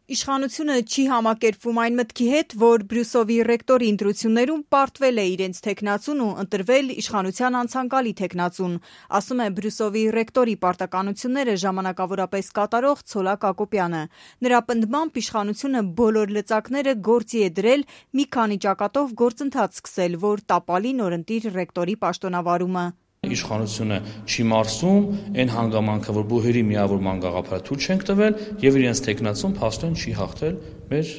Իշխանությունը չի համակերպվում այն մտքի հետ, որ Բրյուսովի ռեկտորի ընտրություններում պարտվել է իրենց թեկնածուն ու ընտրվել իշխանության անցանկալի թեկնածուն, ասում է Բրյուսովի ռեկտորի պարտականությունները ժամանակավորապես կատարող Ցոլակ Ակոպյանը։ Նրա պնդմամբ իշխանությունը բոլոր լծակները գործի է դրել մի քանի ճակատով գործընթաց սկսել, որ տապալի նորընտիր ռեկտորի պաշտոնավարումը։ Իշխանությունը չի մարսում այն հանգամանքը, որ բուհերի միավորման գաղափարը թույլ չենք տվել եւ իրենց թեկնածուն փաստորեն չի հաղթել մեր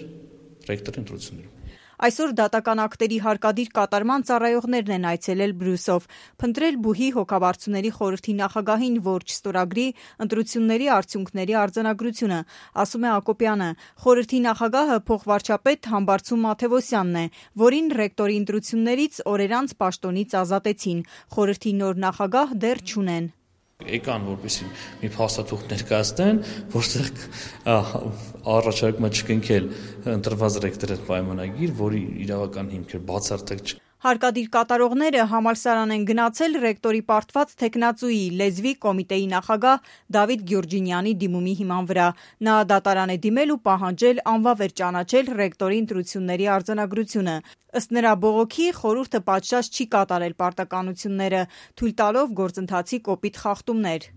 ռեկտորի ընտրություններում։ Այսօր դատական ակտերի հարկադիր կատարման ծառայողներն են այցելել Բրյուսով, փնտրել բուհի հոգաբարձուների խորհրդի նախագահին, որ չստորագրի ընտրությունների արդյունքների արձանագրությունը, ասում է Ակոպյանը։ Խորհրդի նախագահը փոխվարչապետ Համբարձում Մաթևոսյանն է, որին ռեկտորի ընտրություններից օրեր անց պաշտոնից ազատեցին։ Խորհրդի նոր նախագահ դեռ չունեն։ Եկան, որպեսզի մի փաստաթուղթ ներկայացնեն, որտեղ առաջարկում է չկնքել ընտրված ռեկտորի պայմանագիր, որի իրավական հիմքեր բացարձակ չկա։ Հարկադիր կատարողները համալսարան են գնացել ռեկտորի պարտված թեկնածուի լեզվի կոմիտեի նախագահ Դավիթ Գյուրջինյանի դիմումի հիման վրա։ Նա դատարան է դիմել ու պահանջել անվավեր ճանաչել ռեկտորի ընտրությունների արձանագրությունը։ Ըստ նրա բողոքի խորհուրդը պատշաճ չի կատարել պարտականությունները, թույլ տալով գործընթացի կոպիտ խախտումներ։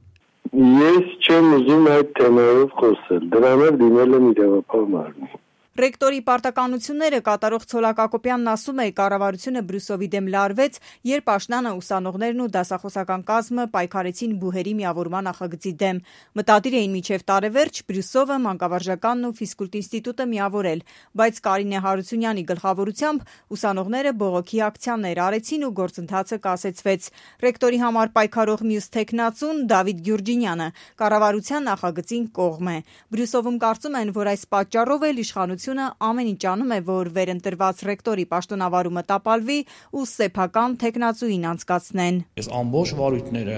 Ես չեմ ուզում այդ թեմայով խոսել, դրանով դիմել եմ իրավապահ մարմին։ Ռեկտորի պարտականությունները կատարող Ցոլակ Ակոպյանն ասում է, կառավարությունը Բրյուսովի դեմ լարվեց, երբ աշնանը ուսանողներն ու դասախոսական կազմը պայքարեցին բուհերի միավորման նախագծի դեմ։ Մտադիր էին մինչև տարեվերջ Բրյուսովը, Մանկավարժականն ու Ֆիզկուլտ ինստիտուտը միավորել, բայց Կարինե Հարությունյանի գլխավորությամբ ուսանողները բողոքի ակցիաներ արեցին ու գործընթացը կասեցվեց։ Ռեկտորի համար պայքարող մյուս թեկնածուն Դավիթ Գյուրջինյանը կառավարության նախագծին կողմ է։ Բրյուսովում կարծում են, որ այս պատճառով էլ իշխանությունը ամեն ինչ անում է, որ վերընտրված ռեկտորի պաշտոնավարումը տապալվի ու սեփական թեկնածուին անցկացնեն։ Ես ամբողջ վարույթները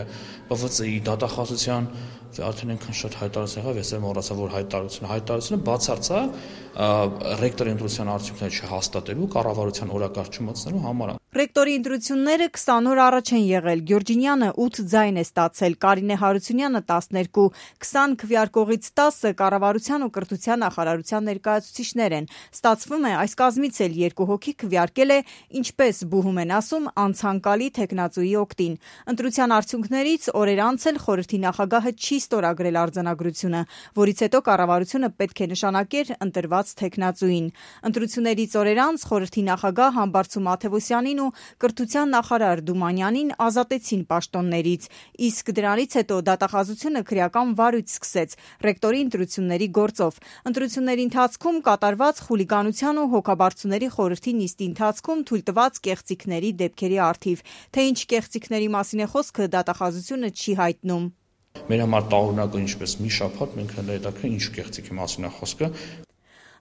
ՊՎԾ-ի դատախազության արդեն այնքան շատ հայտարարություն եղավ, ես մոռացա, որ հայտարարությունը բացարձակ ռեկտորի ընտրության արդյունքները չհաստատելու, կառավարության օրակարգ չմտցնելու համար։ Ռեկտորի ընտրությունները 20 օր առաջ են եղել։ Գյուրջինյանը 8 ձայն է ստացել, Կարինե Հարությունյանը 12, 20 քվեարկողից 10-ը կառավարության ու կրթության նախարարության ներկայացուցիչներ են։ Ստացվում է, այս կազմից էլ 2 հոգի քվեարկել է, ինչպես բուհում են ասում, անցանկալի թեկնածուի օգտին։ Ընտրության արդյունքներից օրեր անց էլ խորհրդի նախագահը չի ստորագրել արձանագրությունը, որից հետո կառավարությունը պետք է նշանակեր ընտրված թեկնածուին։ Ընտրություններից օրեր անց խորհրդի նախագահ Համբարձում Մաթևոսյանին ու կրթության նախարար Դումանյանին ազատեցին պաշտոններից, իսկ դրանից հետո դատախազությունը քրեական վարույթ սկսեց ռեկտորի ընտրությունների գործով։ Ընտրությունների ընթացքում կատարված խուլիգանության ու հոգաբարձուների խորհրդի նիստի ընթացքում թույլտված կեղծիքների դեպքերի առթիվ։ Թե ինչ կեղծիքների մասին է խոսքը, դատախազությունը չի հայտնում։ Մեր համար տարօրինակ է, ինչպես մի շաբաթ մենք հետաքրքիր ինչ կեղծիքի մասին է խոսքը։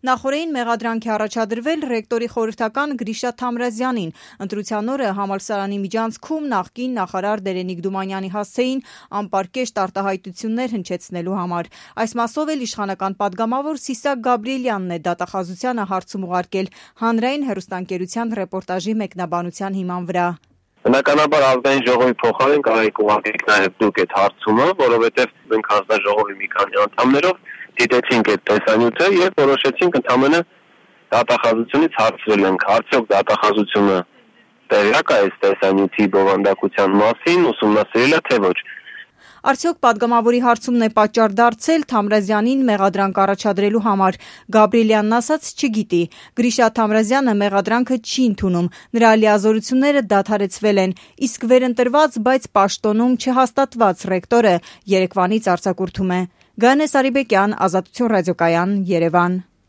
Նախորդին մեղադրանք է առաջադրվել ռեկտորի խորհրդական Գրիշա Թամրազյանին։ Ընտրության օրը համալսարանի միջանցքում նախկին նախարար Դերենիկ Դումանյանի հասցեին անպարկեշտ արտահայտություններ հնչեցնելու համար։ Այս մասով էլ իշխանական պատգամավոր Սիսակ Գաբրիելյանն է դատախազությանը հարցում ուղարկել հանրային հեռուստաընկերության ռեպորտաժի մեկնաբանության հիման վրա։ Բնականաբար ազգային ժողովի փոխարեն կարելի ուղարկեք նաև դուք այդ հարցումը, որովհետև մենք հանձնաժողովի մի քանի անդամներով դիտեցինք այդ տեսանյութը եւ որոշեցինք ընդամենը դատախազությունից հարցրել ենք, արդյոք դատախազությունը տեղյակ է այս տեսանյութի բովանդակության մասին, ուսումնասիրել է թե ոչ։ Արդյոք պատգամավորի հարցումն է պատճառ դարձել Թամրազյանին մեղադրանք առաջադրելու համար։ Գաբրիելյանն ասաց չգիտի։ Գրիշա Թամրազյանը մեղադրանքը չի ընդունում։ Նրա լիազորությունները դադարեցվել են, իսկ վերընտրված, բայց պաշտոնում չհաստատված ռեկտորը Երևանից արձակուրդում է։ Գայանե Սարիբեկյան, Ազատություն ռադիոկայան, Երևան։